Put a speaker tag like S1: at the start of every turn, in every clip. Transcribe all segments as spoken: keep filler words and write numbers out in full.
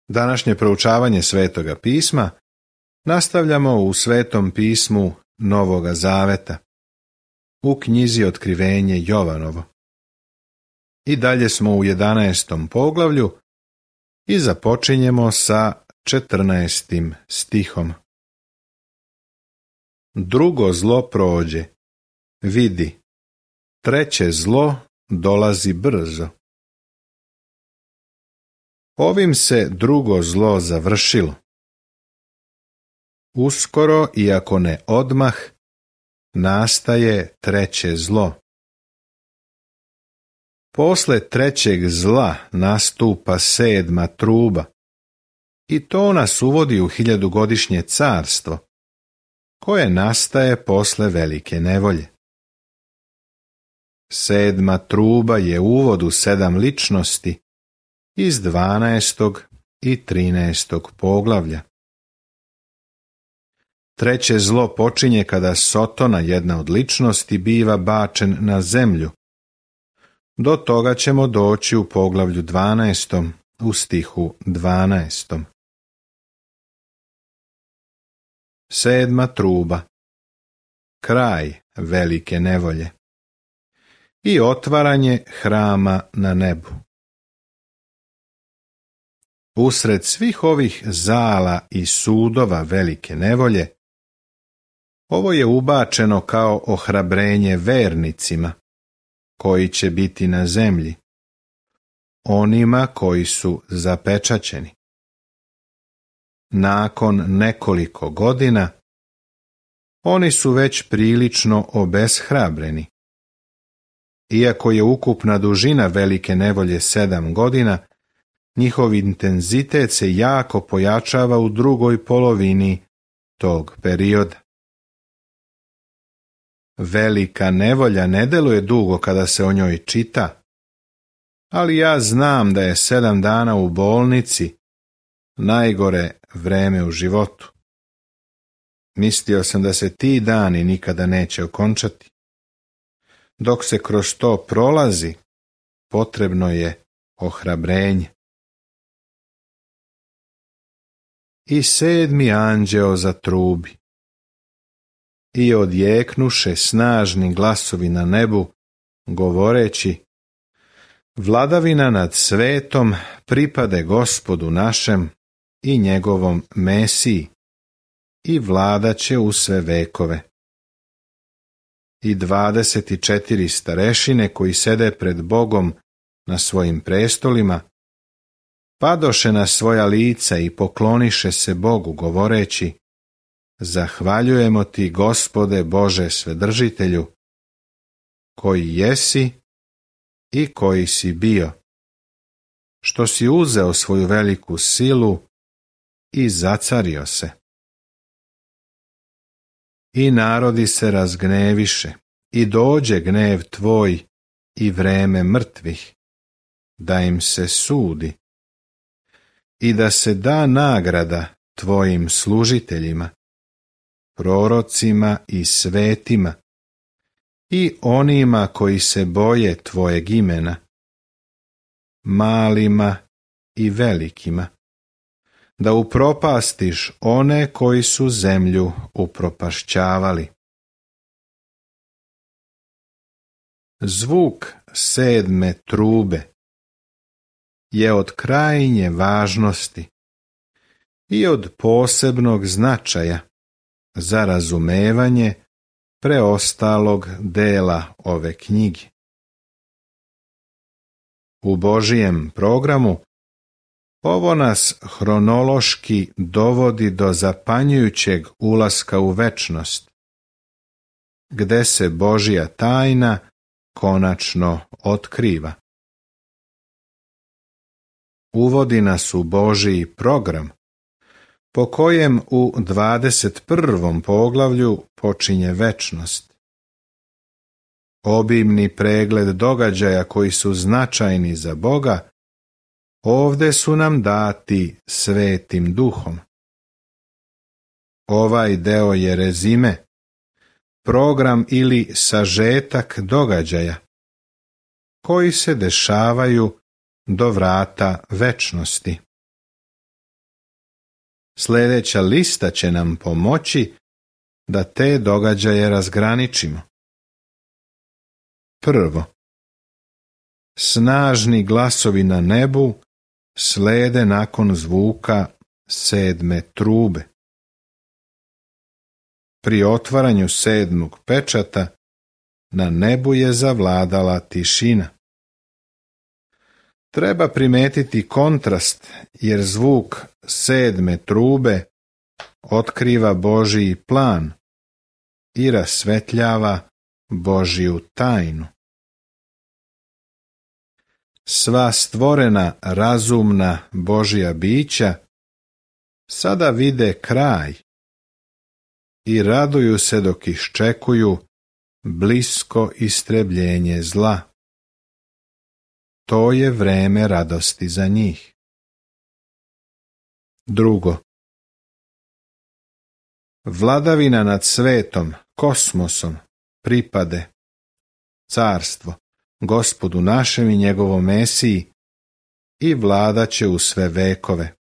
S1: Današnje proučavanje Svetoga pisma nastavljamo u Svetom pismu Novoga Zaveta, u knjizi Otkrivenje Jovanovo. I dalje smo u jedanaestom poglavlju i započinjemo sa četrnaestim stihom. Drugo zlo prođe, vidi, treće zlo dolazi brzo. Ovim se drugo zlo završilo. Uskoro, iako ne odmah, nastaje treće zlo. Posle trećeg zla nastupa sedma truba i to nas uvodi u hiljadugodišnje carstvo, koje nastaje posle velike nevolje. Sedma truba je uvod u sedam ličnosti iz dvanaestog i trinaestog poglavlja. Treće zlo počinje kada Sotona, jedna od ličnosti, biva bačen na zemlju. Do toga ćemo doći u poglavlju dvanaestom, u stihu dvanaestom. Sedma truba. Kraj velike nevolje. I otvaranje hrama na nebu. Usred svih ovih zala i sudova velike nevolje, ovo je ubačeno kao ohrabrenje vernicima, koji će biti na zemlji, onima koji su zapečaćeni. Nakon nekoliko godina, oni su već prilično obeshrabreni. Iako je ukupna dužina velike nevolje sedam godina, njihov intenzitet se jako pojačava u drugoj polovini tog perioda. Velika nevolja ne deluje dugo kada se o njoj čita, ali ja znam da je sedam dana u bolnici najgore vreme u životu. Mislio sam da se ti dani nikada neće okončati. Dok se kroz to prolazi, potrebno je ohrabrenje. I sedmi anđeo zatrubi. I odjeknuše snažni glasovi na nebu, govoreći: Vladavina nad svetom pripade Gospodu našem i njegovom Mesiji, i vladaće u sve vekove. I dvadeset četiri starešine koji sede pred Bogom na svojim prestolima, padoše na svoja lica i pokloniše se Bogu, govoreći: Zahvaljujemo ti, Gospode Bože Svedržitelju, koji jesi i koji si bio, što si uzeo svoju veliku silu i zacario se. I narodi se razgneviše, i dođe gnev tvoj i vreme mrtvih, da im se sudi, i da se da nagrada tvojim služiteljima, prorocima i svetima, i onima koji se boje tvojeg imena, malima i velikima, da upropastiš one koji su zemlju upropašćavali. Zvuk sedme trube je od krajnje važnosti i od posebnog značaja za razumevanje preostalog dela ove knjige. U Božijem programu ovo nas hronološki dovodi do zapanjujućeg ulaska u večnost, gde se Božja tajna konačno otkriva. Uvodi nas u Božji program, po kojem u dvadeset prvom poglavlju počinje večnost. Obimni pregled događaja koji su značajni za Boga ovde su nam dati Svetim Duhom. Ovaj deo je rezime, program ili sažetak događaja koji se dešavaju do vrata večnosti. Sljedeća lista će nam pomoći da te događaje razgraničimo. Prvo, snažni glasovi na nebu slede nakon zvuka sedme trube. Pri otvaranju sedmog pečata na nebu je zavladala tišina. Treba primetiti kontrast, jer zvuk sedme trube otkriva Božji plan i rasvetljava Božju tajnu. Sva stvorena razumna Božja bića sada vide kraj i raduju se dok iščekuju blisko istrebljenje zla. To je vreme radosti za njih. Drugo, vladavina nad svetom, kosmosom, pripade carstvo Gospodu našem i njegovom Mesiji i vladat će u sve vekove.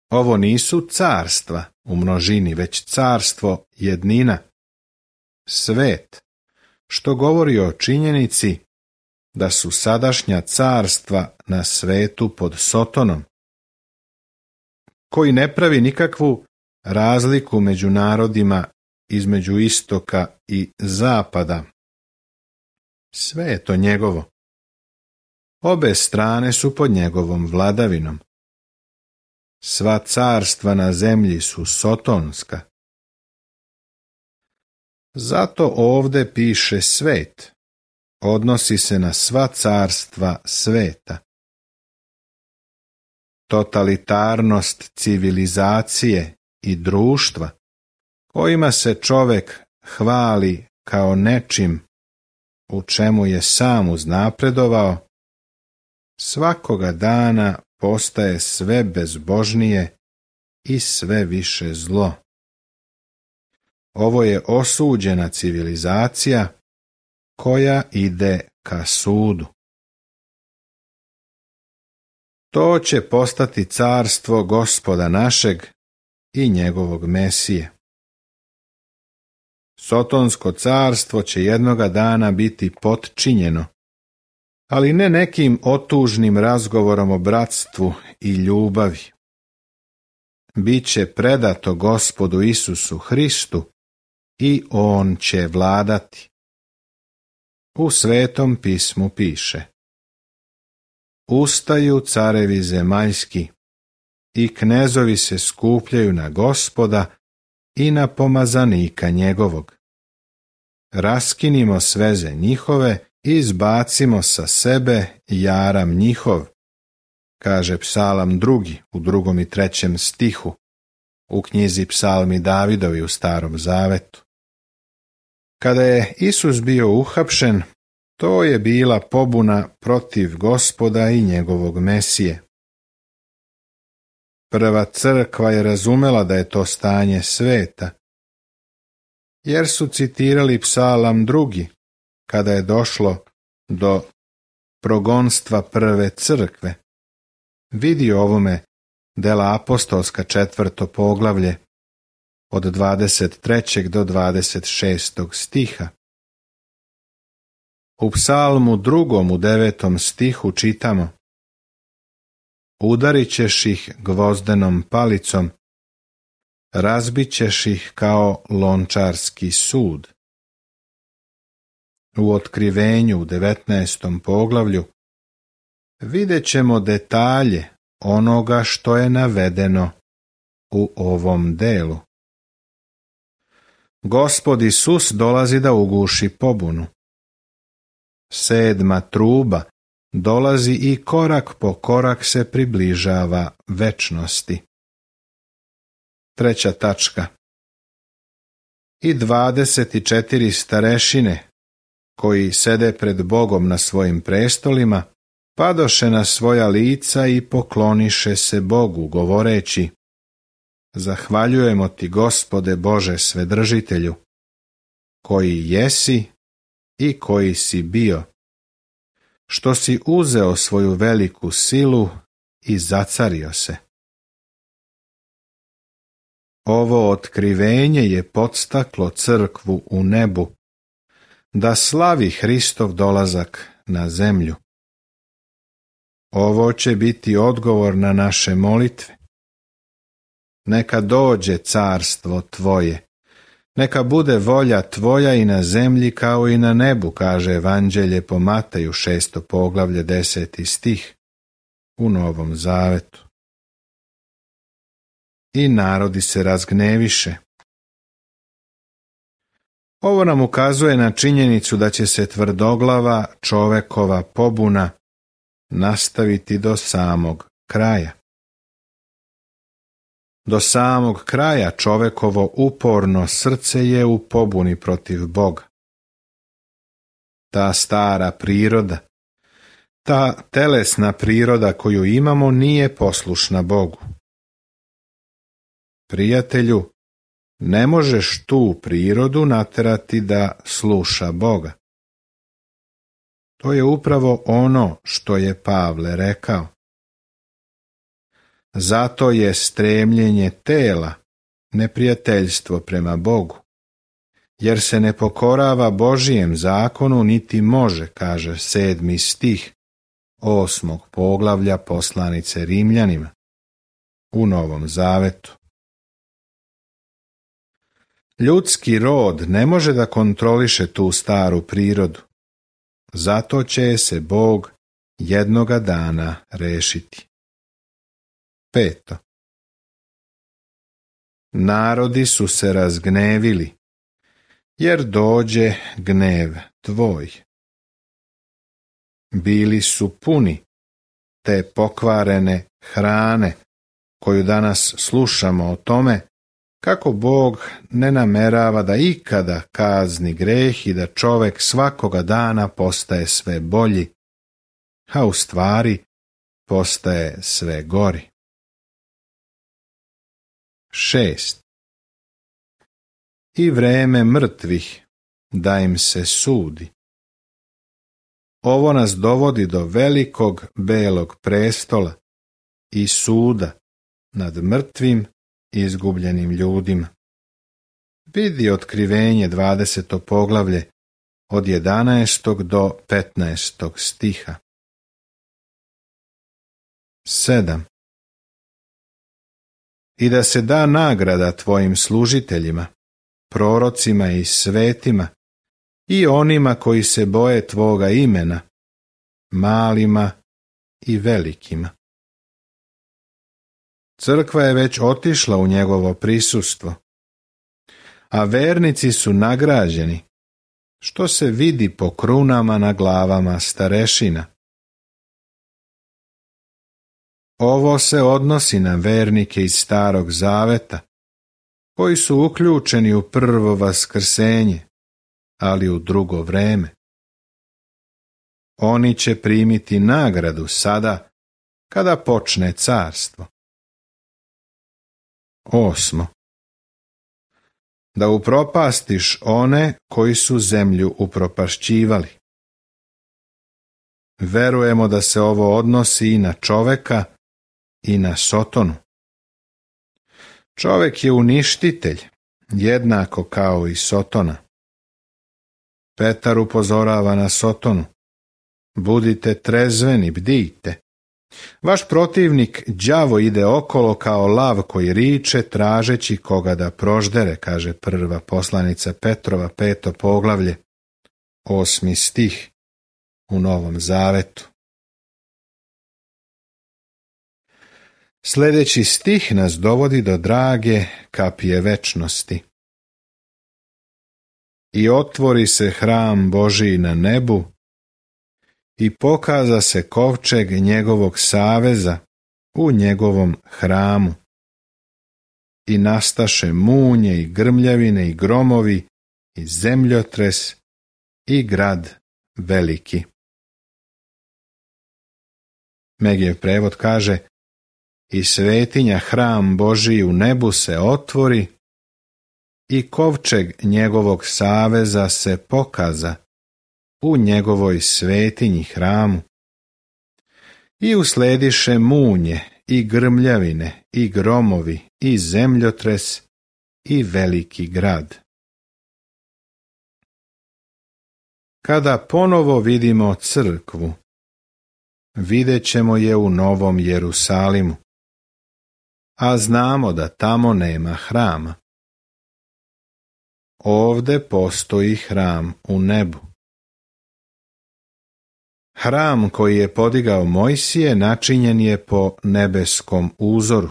S1: Ovo nisu carstva u množini, već carstvo jednina, svet, što govori o činjenici da su sadašnja carstva na svetu pod Sotonom, koji ne pravi nikakvu razliku među narodima između istoka i zapada. Sve je to njegovo. Obe strane su pod njegovom vladavinom. Sva carstva na zemlji su sotonska. Zato ovde piše svet. Odnosi se na sva carstva sveta. Totalitarnost civilizacije i društva, kojima se čovek hvali kao nečim u čemu je sam uznapredovao, svakoga dana postaje sve bezbožnije i sve više zlo. Ovo je osuđena civilizacija koja ide ka sudu. To će postati carstvo Gospoda našeg i njegovog Mesije. Sotonsko carstvo će jednoga dana biti potčinjeno, ali ne nekim otužnim razgovorom o bratstvu i ljubavi. Biće predato Gospodu Isusu Hristu i On će vladati. U Svetom pismu piše: Ustaju carevi zemaljski i knezovi se skupljaju na Gospoda i na pomazanika njegovog. Raskinimo sveze njihove i izbacimo sa sebe jaram njihov, kaže Psalam drugi u drugom i trećem stihu u knjizi Psalmi Davidovi u Starom Zavetu. Kada je Isus bio uhapšen, to je bila pobuna protiv Gospoda i njegovog Mesije. Prva crkva je razumela da je to stanje sveta, jer su citirali Psalam drugi, kada je došlo do progonstva prve crkve. Vidi ovome Dela apostolska četvrto poglavlje od dvadeset trećeg do dvadeset šestog stiha. U Psalmu drugom u devetom stihu čitamo: Udarit ćeš ih gvozdenom palicom, razbit ćeš ih kao lončarski sud. U Otkrivenju u devetnaestom poglavlju vidjet ćemo detalje onoga što je navedeno u ovom delu. Gospod Isus dolazi da uguši pobunu. Sedma truba dolazi i korak po korak se približava večnosti. Treća tačka. I dvadeset četiri starešine, koji sede pred Bogom na svojim prestolima, padoše na svoja lica i pokloniše se Bogu, govoreći: Zahvaljujemo ti, Gospode Bože Svedržitelju, koji jesi i koji si bio, što si uzeo svoju veliku silu i zacario se. Ovo otkrivenje je podstaklo crkvu u nebu da slavi Hristov dolazak na zemlju. Ovo će biti odgovor na naše molitve. Neka dođe carstvo tvoje, neka bude volja tvoja i na zemlji kao i na nebu, kaže Evanđelje po Mateju šesto poglavlje deseti stih u Novom Zavetu. I narodi se razgneviše. Ovo nam ukazuje na činjenicu da će se tvrdoglava čovekova pobuna nastaviti do samog kraja. Do samog kraja čovekovo uporno srce je u pobuni protiv Boga. Ta stara priroda, ta telesna priroda koju imamo nije poslušna Bogu. Prijatelju, ne možeš tu prirodu naterati da sluša Boga. To je upravo ono što je Pavle rekao. Zato je stremljenje tela neprijateljstvo prema Bogu, jer se ne pokorava Božijem zakonu niti može, kaže sedmi stih osmog poglavlja poslanice Rimljanima u Novom Zavetu. Ljudski rod ne može da kontroliše tu staru prirodu, zato će se Bog jednoga dana rešiti. Peto. Narodi su se razgnevili, jer dođe gnev tvoj. Bili su puni te pokvarene hrane, koju danas slušamo o tome, kako Bog ne namerava da ikada kazni greh i da čovek svakoga dana postaje sve bolji, a u stvari postaje sve gori. Šest. I vreme mrtvih da im se sudi. Ovo nas dovodi do velikog belog prestola i suda nad mrtvim i izgubljenim ljudima. Vidi otkrivenje dvadeseto poglavlje od jedanaestog do petnaestog stiha. Sedam. I da se da nagrada tvojim služiteljima, prorocima i svetima, i onima koji se boje tvoga imena, malima i velikima. Crkva je već otišla u njegovo prisustvo, a vernici su nagrađeni, što se vidi po krunama na glavama starešina. Ovo se odnosi na vernike iz Starog Zaveta, koji su uključeni u prvo vaskrsenje, ali u drugo vreme. Oni će primiti nagradu sada, kada počne carstvo. Osmo. Da upropastiš one koji su zemlju upropašćivali. Verujemo da se ovo odnosi i na čoveka i na Sotonu. Čovek je uništitelj, jednako kao i Sotona. Petar upozorava na Sotonu. Budite trezveni, bdijte. Vaš protivnik đavo ide okolo kao lav koji riče tražeći koga da proždere, kaže prva poslanica Petrova, peto poglavlje, osmi stih u Novom Zavetu. Sljedeći stih nas dovodi do drage kapije večnosti. I otvori se hram Božiji na nebu i pokaza se kovčeg njegovog saveza u njegovom hramu. I nastaše munje i grmljavine i gromovi i zemljotres i grad veliki. Megijev prevod kaže: i svetinja hram Božiji u nebu se otvori i kovčeg njegovog saveza se pokaza u njegovoj svetinji hramu. I uslediše munje i grmljavine i gromovi i zemljotres i veliki grad. Kada ponovo vidimo crkvu, vidjet ćemo je u Novom Jerusalimu, a znamo da tamo nema hrama. Ovde postoji hram u nebu. Hram koji je podigao Mojsije načinjen je po nebeskom uzoru.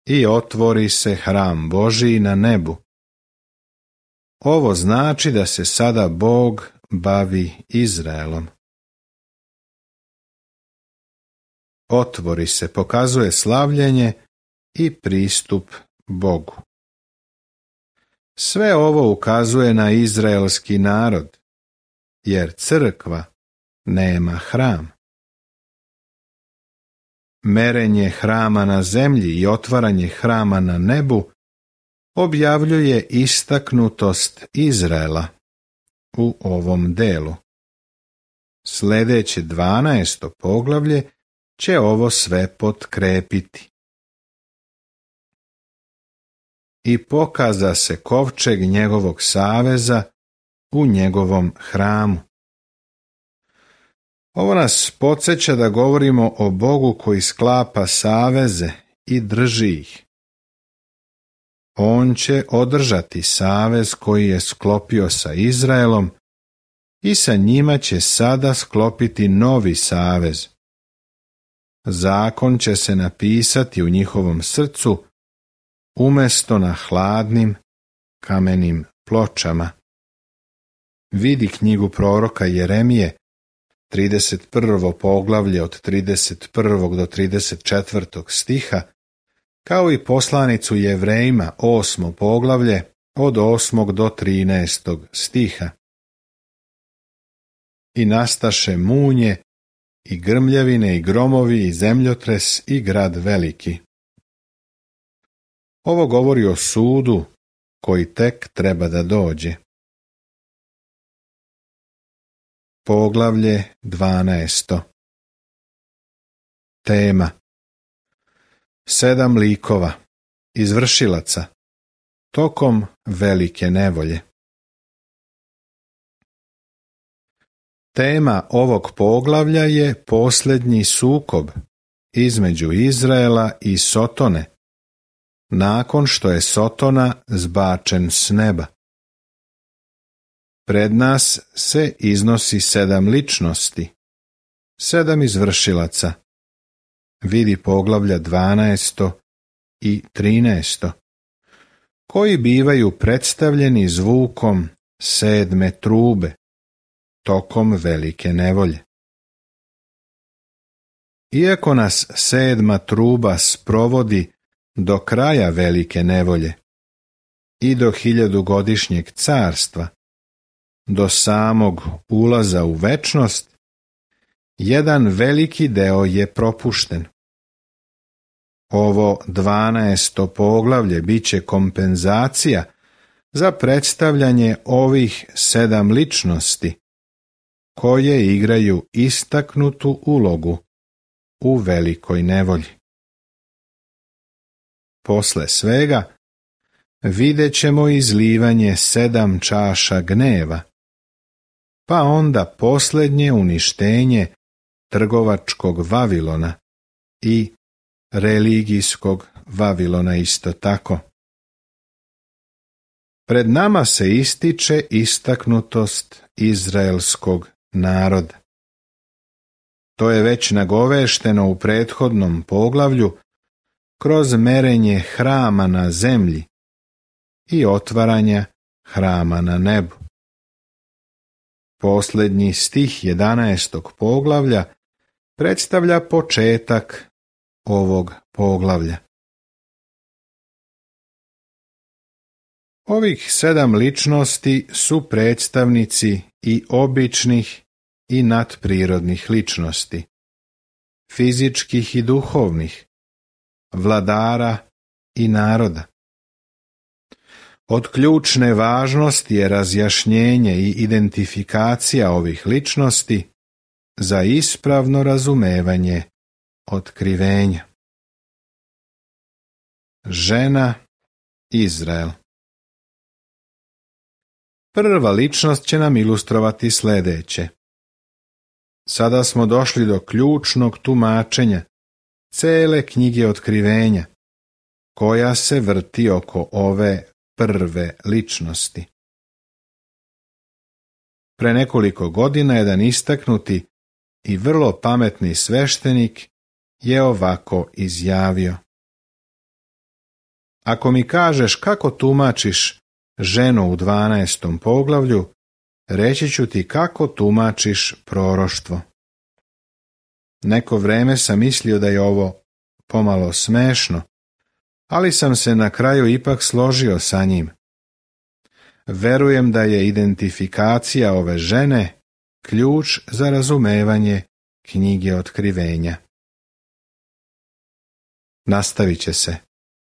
S1: I otvori se hram Božji na nebu. Ovo znači da se sada Bog bavi Izraelom. Otvori se, pokazuje slavljenje i pristup Bogu. Sve ovo ukazuje na izraelski narod, jer crkva nema hram. Merenje hrama na zemlji i otvaranje hrama na nebu objavljuje istaknutost Izraela u ovom delu. Sljedeće dvanaesto poglavlje će ovo sve potkrepiti. I pokaza se kovčeg njegovog saveza u njegovom hramu. Ovo nas podsjeća da govorimo o Bogu koji sklapa saveze i drži ih. On će održati savez koji je sklopio sa Izraelom i sa njima će sada sklopiti novi savez. Zakon će se napisati u njihovom srcu umjesto na hladnim kamenim pločama. Vidi knjigu proroka Jeremije, trideset prvo poglavlje od trideset prvog do trideset četvrtog stiha, kao i poslanicu Jevrejima, osmo poglavlje, od osmog do trinaestog stiha. I nastaše munje, i grmljevine, i gromovi, i zemljotres, i grad veliki. Ovo govori o sudu koji tek treba da dođe. Poglavlje dvanaesto. Tema: Sedam likova, izvršilaca, tokom velike nevolje. Tema ovog poglavlja je posljednji sukob između Izraela i Sotone, nakon što je Sotona zbačen s neba. Pred nas se iznosi sedam ličnosti, sedam izvršilaca. Vidi poglavlja dvanaesto i trinaesto, koji bivaju predstavljeni zvukom sedme trube, tokom velike nevolje. Iako nas sedma truba sprovodi do kraja velike nevolje i do hiljadugodišnjeg carstva, do samog ulaza u večnost, jedan veliki deo je propušten. Ovo dvanaesto poglavlje bit će kompenzacija za predstavljanje ovih sedam ličnosti, koje igraju istaknutu ulogu u velikoj nevolji. Posle svega vidjet ćemo izlivanje sedam čaša gneva, pa onda posljednje uništenje trgovačkog Vavilona i religijskog Vavilona isto tako. Pred nama se ističe istaknutost izraelskog naroda. To je već nagovešteno u prethodnom poglavlju kroz merenje hrama na zemlji i otvaranja hrama na nebu. Posljednji stih jedanaestog poglavlja predstavlja početak ovog poglavlja. Ovih sedam ličnosti su predstavnici i običnih i nadprirodnih ličnosti, fizičkih i duhovnih, vladara i naroda. Od ključne važnosti je razjašnjenje i identifikacija ovih ličnosti za ispravno razumevanje otkrivenja. Žena Izrael. Prva ličnost će nam ilustrovati sljedeće. Sada smo došli do ključnog tumačenja cele knjige Otkrivenja, koja se vrti oko ove prve ličnosti. Pre nekoliko godina jedan istaknuti i vrlo pametni sveštenik je ovako izjavio: ako mi kažeš kako tumačiš ženu u dvanaestom poglavlju, reći ću ti kako tumačiš proroštvo. Neko vreme sam mislio da je ovo pomalo smešno, ali sam se na kraju ipak složio sa njim. Verujem da je identifikacija ove žene ključ za razumevanje knjige Otkrivenja. Nastavit će se.